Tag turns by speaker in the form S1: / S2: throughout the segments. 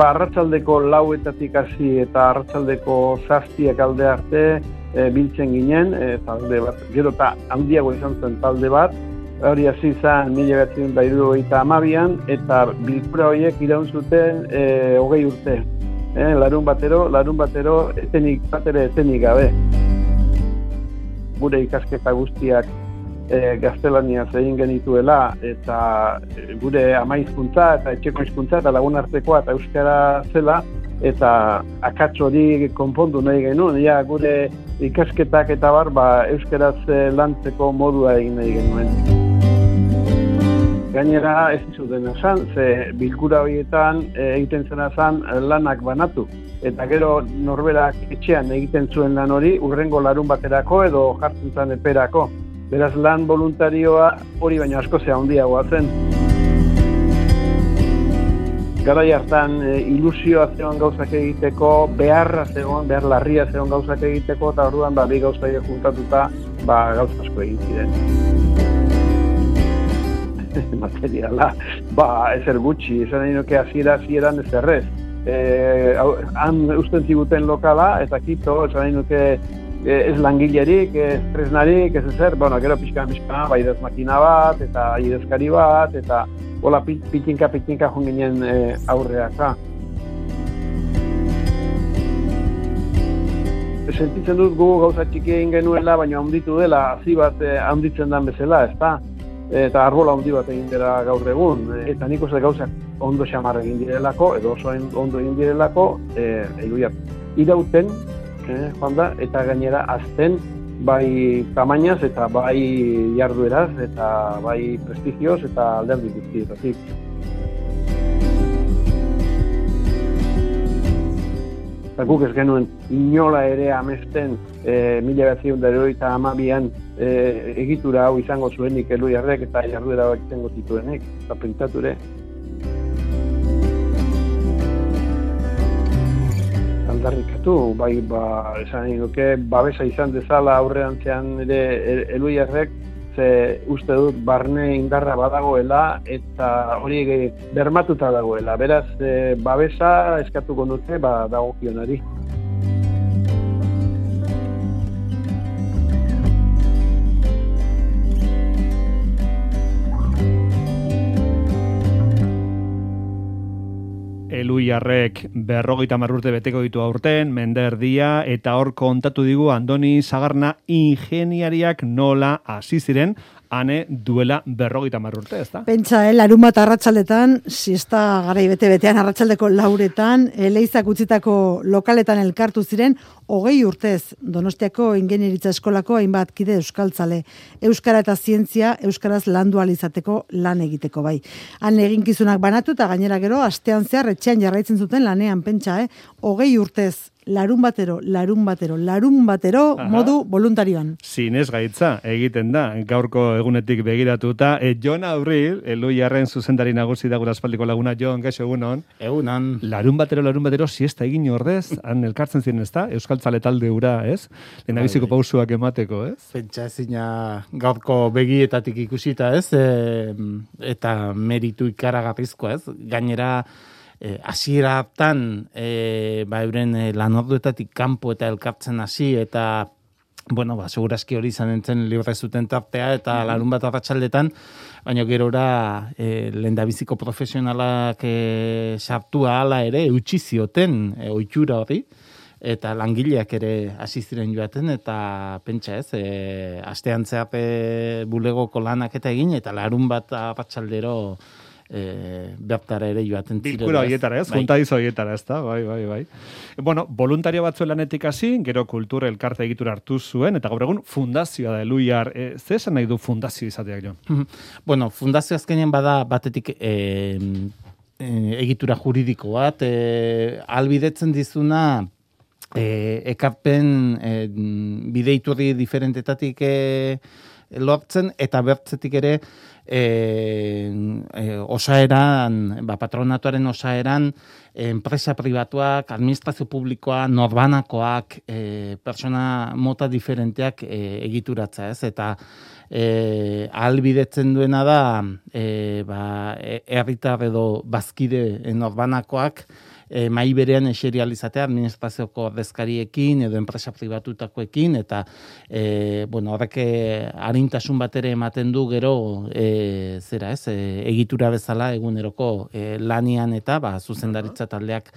S1: arratsaldeko 4:00 hasi eta arratsaldeko 7:00 alde arte biltzen ginen, talde bat, gero eta handiago izan zen talde bat, hori hasi zen 1972an, eta bilkura horiek iraun zuten 20 urte. Larun batero etenik gabe. Gure ikasketa guztiak gaztelaniaz egin genituela, eta gure ama hizkuntza eta etxeko hizkuntza eta lagun artekoa eta euskara zela, eta akats hori konpondu nahi genuen, ja gure ikasketak eta euskaraz lantzeko modua egin nahi genuen. Gainera ez zuten esan, ze bilkura horietan egiten zena zen lanak banatu. Eta gero norberak etxean egiten zuen lan hori hurrengo larun baterako edo jartzen zen eperako. Beraz lan voluntarioa hori baino asko handiagoa zen. Garai hartan ilusioa zegoen gauzak egiteko, behar larria zegoen gauzak egiteko, eta orduan bi gauza juntatuta gauza asko egin ziren. Materiala, ezer gutxi, esan nahi nuke hasieran ez errez. Han usten ziguten lokala, eta kito, esan nahi nuke ez langilerik, ez tresnarik, ez ezer, gero pixka, idaz makina bat, eta idazkari bat, eta hola pitinka joan ginen aurreaka. Sentitzen dut gu gauza txiki egin genuela, baina handitu dela, hazi bat handitzen den bezala, ezta? Eta arbola handi bat egin dela gaur egun. Eta nik uste gauzak ondo xamar egin direlako, edo oso ondo egin direlako, irauten, joan da, eta gainera azten, bai tamainaz eta bai jardueraz, eta bai prestigioz eta alderdi guztietatik. Eta guk ez genuen inola ere amesten 1982an egitura hau izango zuenik Elhuyarrek eta jarduera hau izango zituenek, eta pentsature. Aldarrikatu, esan nahi nuke, babesa izan dezala aurrerantzean ere Elhuyarrek, ze uste dut barne indarra badagoela eta hori bermatuta dagoela. Beraz, babesa eskatuko dute dagokionari.
S2: Elhuyarrek 50 urte beteko ditu aurten, mende erdia, eta hor kontatu digu Andoni Sagarna ingeniariak nola hasi ziren, ane duela 50 urte, ezta?
S3: Pentsa, larunbat arratsaldetan, siesta garai bete-betean arratsaldeko 4:00, Leizak utzitako lokaletan elkartu ziren 20 urtez Donostiako Ingeniaritza Eskolako hainbat kide euskaltzale. Euskara eta zientzia, euskaraz landu ahal izateko lan egiteko bai. Han eginkizunak banatu eta gainera gero astean zehar etxean jarraitzen zuten lanean, pentsa, 20 urtez. Larun batero, modu voluntarioan.
S2: Zinez gaitza egiten da, gaurko egunetik begiratuta. Jon Abril, Elhuyarren zuzendari nagusi da gure aspaldiko laguna. Jon, gaixo egunon.
S4: Egunon.
S2: Larun batero, siesta egin ordez, han elkartzen ziren, ezta? Euskaltzale talde ura, ez? Lehendabiziko pausuak emateko, ez?
S4: Pentsa ezina gaurko begietatik ikusita, ez? Eta meritu ikaragarrizkoa, ez? Gainera, hasiera hartan euren lanorduetatik kanpo eta elkartzen hasi eta segurazki hori izan entzen libre zuten tartea eta larunbat arratsaldetan, baina gerora lehendabiziko profesionalak sartu ahala ere eutsi zioten ohitura hori eta langileak ere hasi ziren joaten eta pentsa ez, astean zehar bulegoko lanak eta egin eta larunbat arratsaldero bertara ere joaten ziren.
S2: Bilkura horietara, ez? Juntadiz horietara, ez da? Bai. Voluntario batzuen lanetik hasi, gero kultura elkarte egitura hartu zuen, eta gaur egun fundazioa da Elhuyar. Ze esan nahi du fundazio izateak, jo?
S4: Fundazio azkenean bada batetik egitura juridiko bat, albidetzen dizuna ekarpen bideiturri diferentetatik lortzen, eta bertzetik ere osaeran, patronatuaren osaeran, enpresa pribatuak, administrazio publikoa, norbanakoak, persona mota diferenteak egituratza, ez? Eta ahalbidetzen duena da herritar edo bazkide norbanakoak mai berean eserializatea administrazioko ordezkariekin edo enpresa pribatutakoekin, eta horrek arintasun bat ere ematen du gero egitura bezala eguneroko lanian eta zuzendaritza taldeak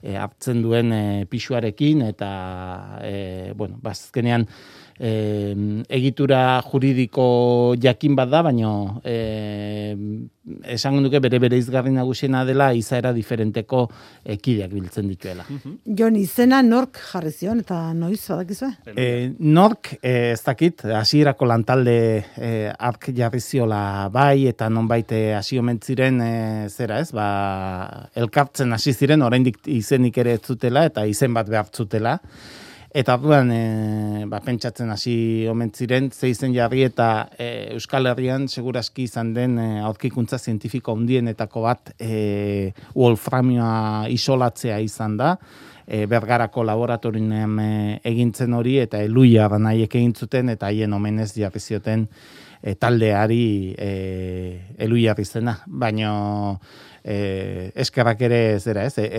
S4: hartzen duen pisuarekin, eta azkenean egitura juridiko jakin bat da, baina esango duke bere izgarri nagusiena dela izaera diferenteko kideak biltzen dituela.
S3: Jon, izena nork jarri zion eta noiz badakizue?
S4: Nork ez dakit, hasierako lantalde ark jarri ziola bai, eta nonbait hasi omen ziren elkartzen hasi ziren, oraindik izenik ere ez zutela eta izen bat behar zutela. Eta orduan pentsatzen hasi omen ziren, ze izen jarri eta Euskal Herrian segurazki izan den aurkikuntza zientifiko handienetako bat wolframioa isolatzea izan da. Bergarako laboratorian egintzen hori, eta Eluia nahiek egin zuten, eta haien omenez jarri zioten taldeari Eluia izena. Baina eskerrak ere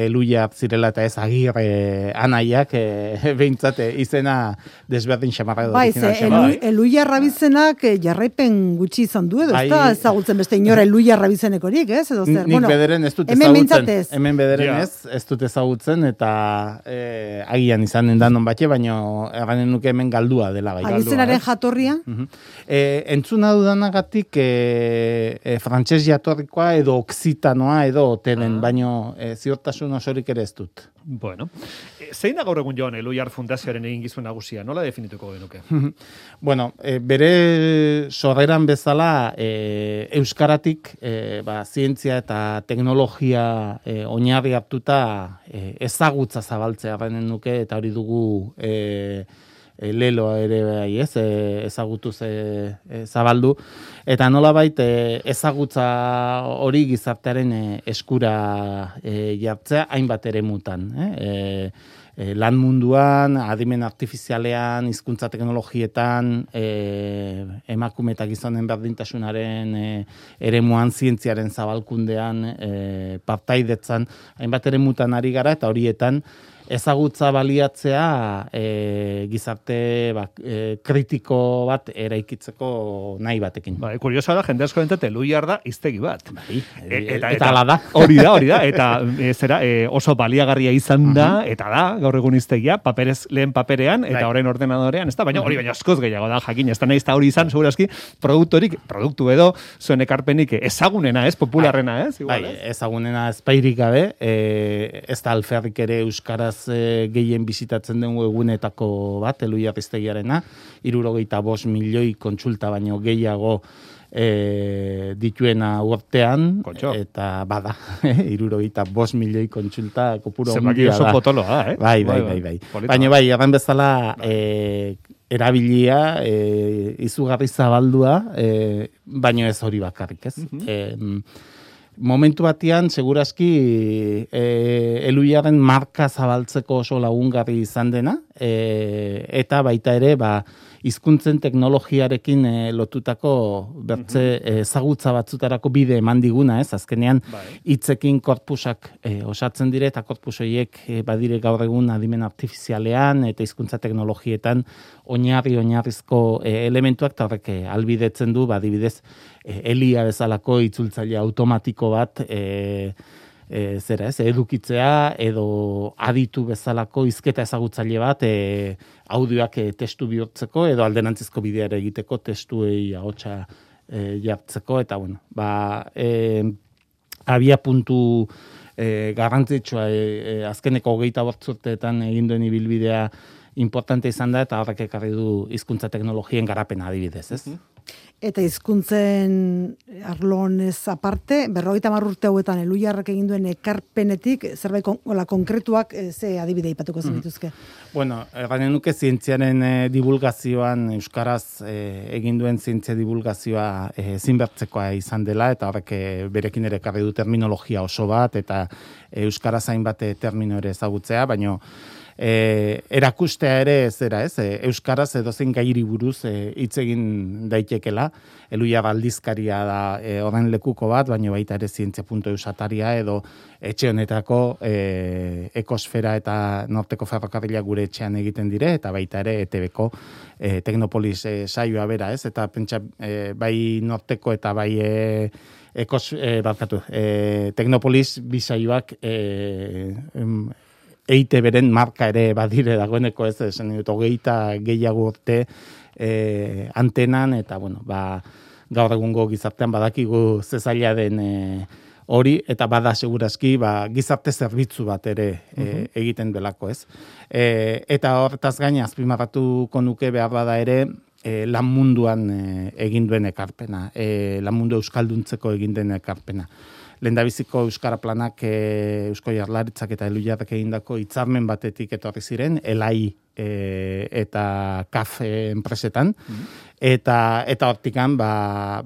S4: Eluia zirela eta ez Agirre anaiak behintzat izena desberdin xamarra edo.
S3: Eluia Rabizenak jarraipen gutxi izan du edo, ez da ezagutzen beste inora Eluia Rabizenekorik, ez?
S4: Nik bederen ez dut ezagutzen. Hemen bederen ez dut ezagutzen, eta agian izanen da non batxe, baina erranen nuke hemen galdua dela.
S3: Abizenaren jatorria?
S4: Entzuna dudanagatik frantses jatorrikoa edo oksitanoa edo tenen, baino ziurtasun osorik ere ez dut.
S2: Bueno, zein da gaur egun Jon Eluiar Fundazioaren egingizun nagusia? Nola definituko genuke?
S4: Bueno, bere sorreran bezala euskaratik zientzia eta teknologia oinarri hartuta ezagutza zabaltzea benen nuke, eta hori dugu leloa ere bai, ezagutuz zabaldu, eta nolabait ezagutza hori gizartearen eskura jartzea hainbat eremutan, lan munduan, adimen artifizialean, hizkuntza teknologietan, emakume eta gizonen berdintasunaren eremuan, zientziaren zabalkundean, partaidetzan, hainbat eremutan ari gara, eta horietan ezagutza baliatzea gizarte kritiko bat eraikitzeko nahi batekin.
S2: Kuriosa da, jende asko entzat Eluiar da hiztegi bat.
S4: Eta ala da.
S2: Hori da, eta oso baliagarria izan da, eta da, gaur egun hiztegia, lehen paperean, eta orain ordenadorean, ez da, baina hori baina askoz gehiago da, jakin, ez da nahiz, hori izan, segurazki, produktu edo, zuen ekarpenik ezagunena, popularrena,
S4: ezagunena ezpairik gabe, ez da alferrik ere euskaraz gehien bizitatzen den egunetako bat, Eluia Hiztegiarena, 65 milioi kontsulta baino gehiago dituena urtean, eta bada, 65 milioi kontsulta kopuru handia da.
S2: Zemaki oso potoloa da,
S4: Bai. Baina bai, erran bezala erabilia, izugarri zabaldua, baino ez hori bakarrik, ez? Momentu batean, segurazki, Eluiaren marka zabaltzeko oso lagungarri izan dena, eta baita ere, hizkuntzen teknologiarekin lotutako bertze ezagutza batzutarako bide eman diguna, ez? Azkenean, hitzekin korpusak osatzen dire, eta korpus horiek badire gaur egun adimen artifizialean, eta hizkuntza teknologietan oinarrizko elementuak, eta horrek albidetzen du, badibidez, Elia bezalako itzultzaile automatiko bat edukitzea, edo aditu bezalako hizketa ezagutzaile bat audioak testu bihurtzeko, edo alderantzizko bideara egiteko testuei ahotsa jartzeko, eta abia puntu garrantzitsua azkeneko 28 urteetan egin duen ibilbidea importante izan da, eta horrek ekarri du hizkuntza teknologien garapena adibidez, ez?
S3: Eta hizkuntzen arlonez aparte, 50 urte hauetan Eluiarrak egin duen ekarpenetik, zerbait konkretuak ze adibide ipatuko zenituzke?
S4: Bueno, erranen nuke zientziaren divulgazioan, euskaraz egin duen zientzia divulgazioa zinbertzekoa izan dela, eta horrek berekin ere ekarri du terminologia oso bat, eta euskaraz hainbat termino ere ezagutzea, baina erakustea ere zera, ez? Euskaraz edozein gairi buruz hitz egin daitekela. Eluia aldizkaria da horren lekuko bat, baina baita ere zientzia.eus ataria edo etxe honetako ekosfera eta norteko ferrokarrila gure etxean egiten dire, eta baita ere ETB-ko Teknopolis saioa bera, ez? Eta pentsa bai norteko eta bai Teknopolis bisaioak EITB-ren marka ere badire dagoeneko, ez? Esan dut, 20 gehiago urte antenan, eta bueno, gaur egungo gizartean badakigu zezaila den hori, eta bada segurazki gizarte zerbitzu bat ere egiten delako, ez? Eta horretaz gaina azpimarratuko nuke behar bada ere lan munduan egin duen ekarpena, lan mundu euskalduntzeko egin den ekarpena. Lehendabiziko Euskara Planak Eusko Jaurlaritzak eta Eluiarrek egindako hitzarmen batetik etorri ziren, ELAI eta KAF enpresetan, eta hortikan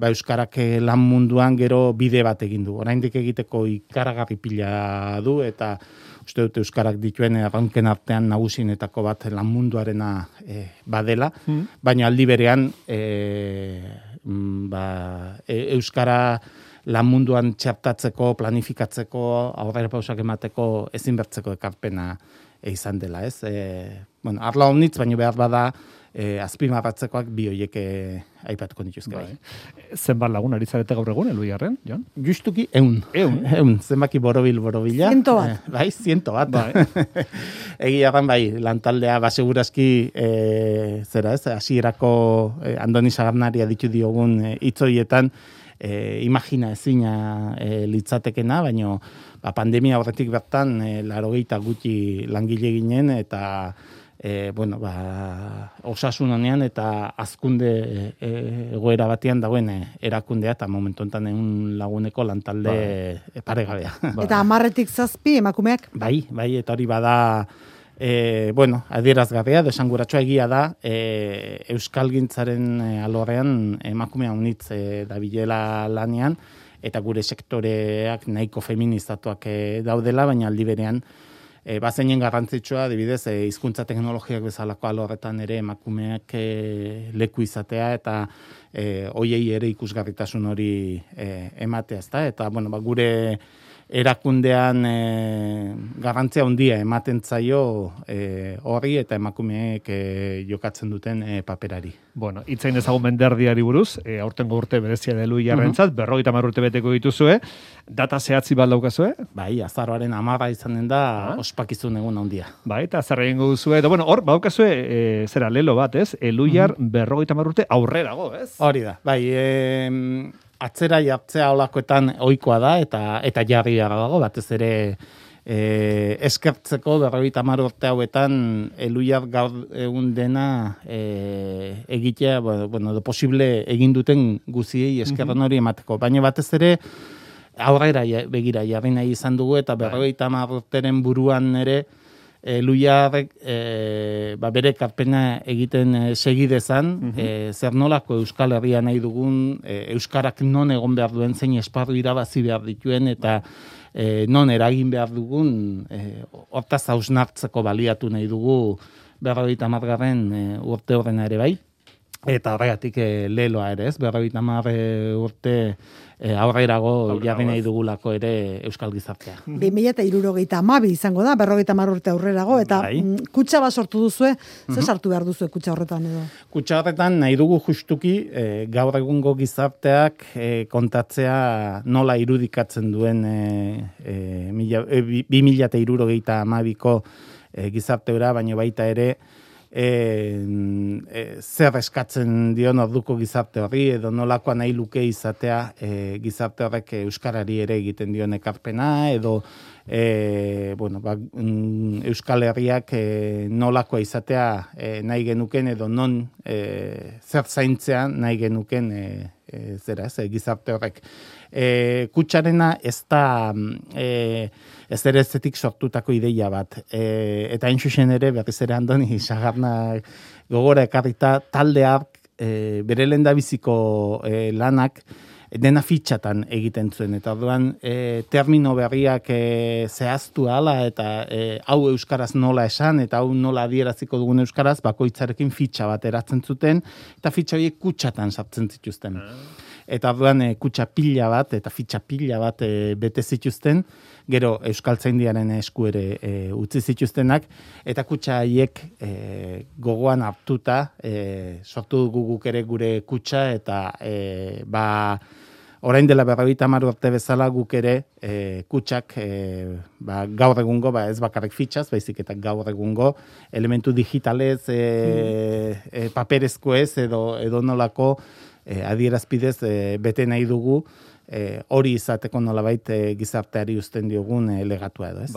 S4: Euskarak lan munduan gero bide bat egin du. Oraindik egiteko ikaragarri pila du, eta uste dut Euskarak dituen erronken artean nagusienetako bat lan munduarena badela, baina aldi berean Euskara lan munduan txertatzeko, planifikatzeko, aurrera pausak emateko ezinbertzeko ekarpena izan dela, ez? Arla honitz, baina behar bada azpimarratzekoak bi horiek aipatuko nituzke bai.
S2: Zenbat lagun ari zarete gaur egun, Eluiarren, Jon?
S4: Justuki 100. Zenbaki borobila.
S3: 100 bat.
S4: Bai, 100 bat. Bai. Egia bai, lantaldea, segurazki, zera ez, hasierako Andoni Sagarnari aditu diogun hitzoietan, imagina ezina litzatekena, baina pandemia horretik bertan 80 gutxi langile ginen, eta osasun honean eta azkunde egoera batean dagoen erakundea, eta momentu enten 100 laguneko lantalde paregabea.
S3: Eta 10-tik 7 emakumeak?
S4: Bai, eta hori bada adierazgarria, desanguratsua egia da, euskalgintzaren alorrean emakumea unitz dabilela lanean, eta gure sektoreak nahiko feministatuak daudela, baina aldi berean bazeinen garrantzitsua, adibidez, hizkuntza teknologiak bezalako alorretan ere emakumeak leku izatea, eta hoiei ere ikusgarritasun hori ematea, ezta? Eta gure erakundean garrantzia handia ematen zaio horri eta emakumeek jokatzen duten paperari.
S2: Bueno, itzain ezagun menderdiari buruz, aurtengo urte berezia da Eluiarrentzat, 50 urte beteko dituzue, data zehatzi bat daukazue?
S4: Bai, azaroaren 10 izanen da ospakizun egun handia.
S2: Bai, eta zer egingo duzue, eta hor, baukazue, zera, lelo bat, ez? Eluiar 50 urte aurrerago, ez?
S4: Hori da, bai, atzera jartzea olakoetan ohikoa da, eta jarri dago, batez ere eskertzeko 50 urte hauetan Eluiar gaur egun dena egitea, posible egin duten guziei eskerran hori emateko. Baina batez ere aurrera begira jarri nahi izan dugu, eta 50 urteren buruan ere Eluiarrek bere ekarpena egiten segidezan, zer nolako Euskal Herria nahi dugun, Euskarak non egon behar duen, zein esparru irabazi behar dituen, eta non eragin behar dugun, hortaz hausnartzeko baliatu nahi dugu 50 urte horrena ere bai. Eta horregatik leloa ere, ez? 50 urte aurrerago jarri nahi dugulako ere Euskal Gizartea.
S3: 2032 izango da, 50 urte aurrerago, eta kutxa bat sortu duzue, ze sartu behar duzue kutxa horretan edo?
S4: Kutxa horretan nahi dugu justuki gaur egungo gizarteak kontatzea nola irudikatzen duen 2032ko gizarteura, baina baita ere zer eskatzen dion orduko gizarte horri, edo nolakoa nahi luke izatea gizarte horrek euskarari ere egiten dion ekarpena, edo Euskal Herriak nolakoa izatea nahi genuken, edo non zer zaintzea nahi genuken gizarte horrek. Kutxarena ez da ez ere zetik sortutako ideia bat. Eta hain zuzen ere, berriz ere Andoni Sagarna gogora ekarrita, taldeak bere lehendabiziko lanak dena fitxatan egiten zuen, eta orduan termino berriak zehaztu ala, eta hau euskaraz nola esan, eta hau nola adieraziko dugun euskaraz, bakoitzarekin fitxa bat eratzen zuten, eta fitxa horiek kutxatan sartzen zituzten. Eta orduan kutxa pila bat, eta fitxa pila bat bete zituzten, gero Euskaltzaindiaren esku ere utzi zituztenak, eta kutxa haiek gogoan hartuta sortu dugu guk ere gure kutxa, eta orain dela 50 urte bezala guk ere kutxak gaur egungo, ez bakarrik fitxaz, baizik eta gaur egungo elementu digitalez, paperezko ez, edo nolako adierazpidez bete nahi dugu, hori izateko nolabait gizarteari uzten diogun legatua edo, ez?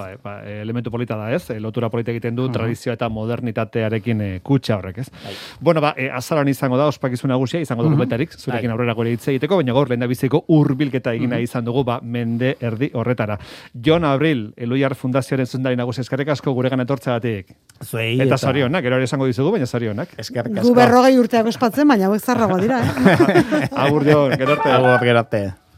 S2: Elementu polita da, ez? Lotura polita egiten du tradizioa eta modernitatearekin kutxa horrek, ez? Bueno, azaroan izango da, ospakizun nagusia, izango dokumentarik, zurekin aurrera gore hitz egiteko, baina gaur lehendabiziko hurbilketa egina izan dugu, mende erdi horretara. Jon Abril, Eluiar Fundazioaren zuzendari nagusi, eskerrik asko guregan etortzeagatik.
S4: Zuei,
S2: eta zorionak, gero ere esango dizugu, baina zorionak.
S4: Eskerrik asko.
S3: Gu 40 urteak ospatzen, baina hauek zarragoa dira,
S2: Agur, Jon, gerarte.
S4: Agur, gerarte.